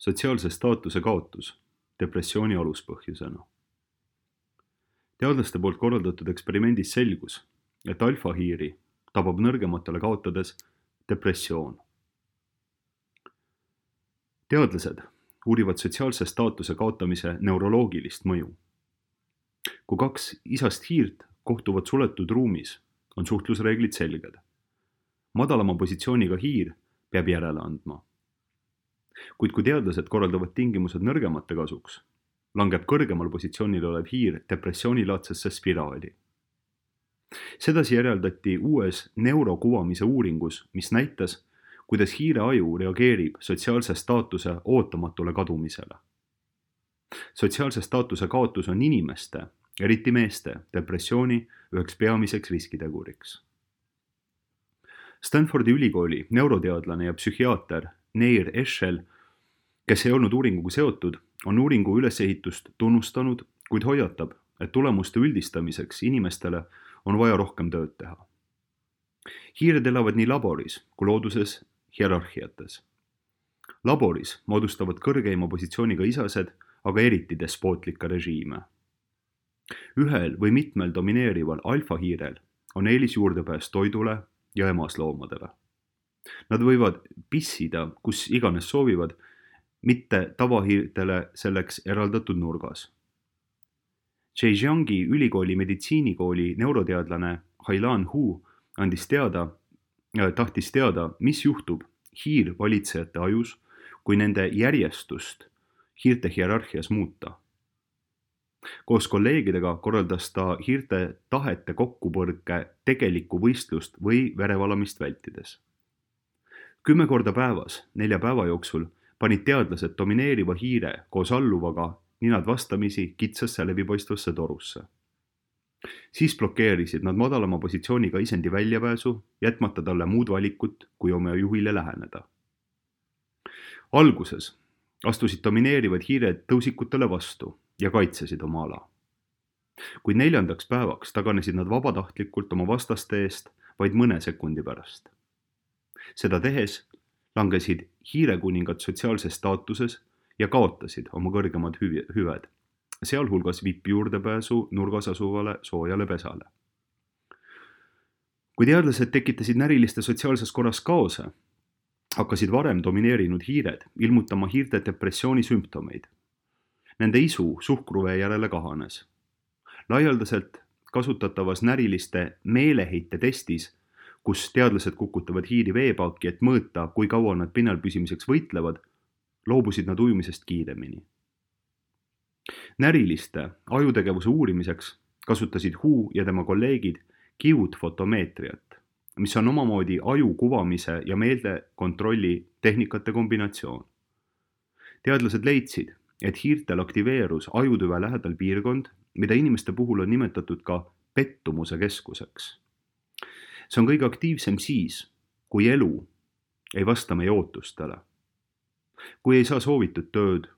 sotsiaalse staatuse kaotus depressiooni aluspõhjusena. Teadlaste poolt korraldatud eksperimendis selgus, et alfahiiri tabab nõrgematele kaotades depressioon. Teadlased uurivad sotsiaalse staatuse kaotamise neuroloogilist mõju. Kui kaks isast hiirt kohtuvad suletud ruumis, on suhtlusreeglid selged. Madalama positsiooniga hiir peab järele andma. Kuid kui teadlased korraldavad tingimused nõrgemate kasuks, langeb kõrgemal positsioonil olev hiir depressioonilaadsesse spiraali. Sedasi järeldati uues neurokuvamise uuringus, mis näitas, kuidas hiire aju reageerib sotsiaalse staatuse ootamatule kadumisele. Sotsiaalse staatuse kaotus on inimeste, eriti meeste, depressiooni üheks peamiseks riskiteguriks. Stanfordi ülikooli neuroteadlane ja psühhiaater Neir Eshel, kes ei olnud uuringuga seotud, on uuringu ülesehitust tunnustanud, kuid hoiatab, et tulemuste üldistamiseks inimestele on vaja rohkem tööd teha. Hiired elavad nii laboris kui looduses hierarhiates. Laboris moodustavad kõrgeima positsiooniga isased, aga eriti despootlikke režiime. Ühel või mitmel domineerival alfahiirel on eelis juurdepääs toidule ja emasloomadele. Nad võivad pissida, kus iganes soovivad, mitte tavahiirtele selleks eraldatud nurgas. Zhejiangi ülikooli meditsiinikooli neuroteadlane Hailan Hu tahtis teada, mis juhtub hiirvalitsejate ajus, kui nende järjestust hiirte hierarhias muuta. Koos kolleegidega korraldas ta hiirte tahete kokkupõrke tegelikku võistlust või verevalamist vältides. 10 korda päevas, 4 päeva jooksul panid teadlased domineeriva hiire koos alluvaga ninad vastamisi kitsasse läbipaistvasse torusse. Siis blokeerisid nad madalama positsiooniga isendi väljapääsu, jätmata talle muud valikut, kui oma juhile läheneda. Alguses astusid domineerivad hiired tõusikutele vastu ja kaitsesid oma ala. Kuid 4. päevaks taganesid nad vabatahtlikult oma vastaste eest vaid mõne sekundi pärast. Seda tehes langesid hiirekuningad sotsiaalses staatuses ja kaotasid oma kõrgemad hüved, sealhulgas VIP juurdepääsu nurgas asuvale soojale pesale. Kui teadlased tekitasid näriliste sotsiaalses korras kaose, hakkasid varem domineerinud hiired ilmutama hiirte depressiooni sümptomeid. Nende isu suhkruvee järele kahanes. Laialdaselt kasutatavas näriliste meeleheite testis, kus teadlased kukutavad hiiri veepaaki, et mõõta, kui kaua nad pinnal püsimiseks võitlevad, loobusid nad ujumisest kiiremini. Näriliste ajutegevuse uurimiseks kasutasid Hu ja tema kolleegid kiudfotomeetriat, mis on omamoodi aju kuvamise ja meeldekontrolli tehnikate kombinatsioon. Teadlased leidsid, et hiirtel aktiveerus ajutüve lähedal piirkond, mida inimeste puhul on nimetatud ka pettumuse keskuseks. See on kõige aktiivsem siis, kui elu ei vasta meie ootustele. Kui ei saa soovitud tööd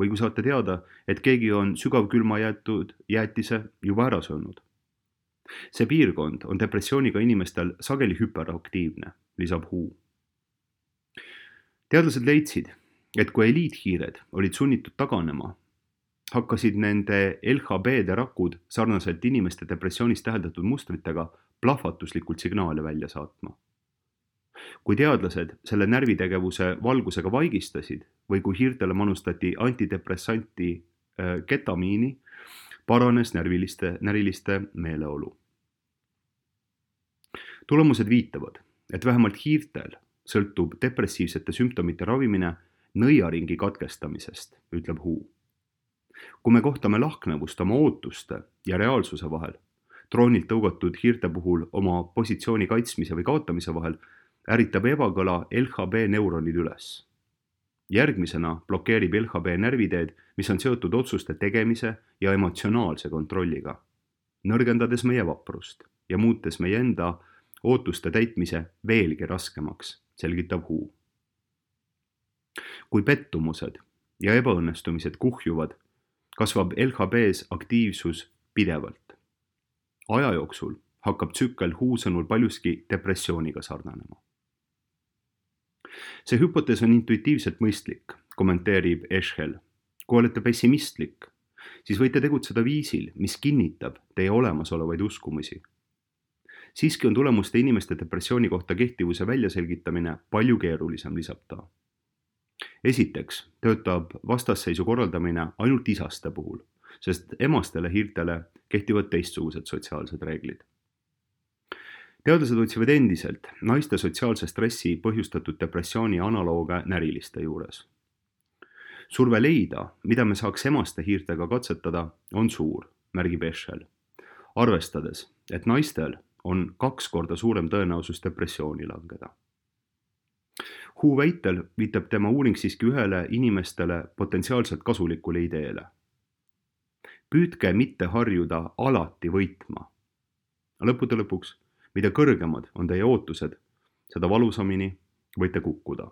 või kui saate teada, et keegi on sügavkülma jäetud jäätise juba ära söönud. See piirkond on depressiooniga inimestel sageli hüperaktiivne, lisab Hu. Teadlased leidsid, et kui eliithiired olid sunnitud taganema, hakkasid nende LHB-de rakud sarnaselt inimeste depressioonis täheldatud mustritega plahvatuslikult signaale välja saatma. Kui teadlased selle närvitegevuse valgusega vaigistasid või kui hiirtele manustati antidepressanti ketamiini, paranes näriliste meeleolu. Tulemused viitavad, et vähemalt hiirtel sõltub depressiivsete sümptomite ravimine nõiaringi katkestamisest, ütleb Hu. Kui me kohtame lahknevust oma ootuste ja reaalsuse vahel, troonilt tõugatud hiirte puhul oma positsiooni kaitsmise või kaotamise vahel, äritab ebakõla LHB neuronid üles. Järgmisena blokeerib LHB närviteed, mis on seotud otsuste tegemise ja emotsionaalse kontrolliga, nõrgendades meie vaprust ja muutes meie enda ootuste täitmise veelgi raskemaks, selgitab Hu. Kui pettumused ja ebaõnnestumised kuhjuvad, kasvab LHB-s aktiivsus pidevalt. Aja jooksul hakkab tsükkel Hu sõnul paljuski depressiooniga sarnanema. See hüpotees on intuitiivselt mõistlik, kommenteerib Eschel. Kui olete pessimistlik, siis võite tegutseda viisil, mis kinnitab teie olemasolevaid uskumusi. Siiski on tulemuste inimeste depressiooni kohta kehtivuse väljaselgitamine palju keerulisem, lisab ta. Esiteks töötab vastasseisu korraldamine ainult isaste puhul, sest emastele hiirtele kehtivad teistsugused sotsiaalsed reeglid. Teadlased otsivad endiselt naiste sotsiaalse stressi põhjustatud depressiooni analooge näriliste juures. Surve leida, mida me saaks emaste hiirtega katsetada, on suur, märgib Eschel, arvestades, et naistel on 2 korda suurem tõenäosus depressiooni langeda. Hu väitel viitab tema uuring siiski ühele inimestele potentsiaalselt kasulikule ideele. Püüdke mitte harjuda alati võitma. Lõppude lõpuks, mida kõrgemad on teie ootused, seda valusamini võite kukkuda.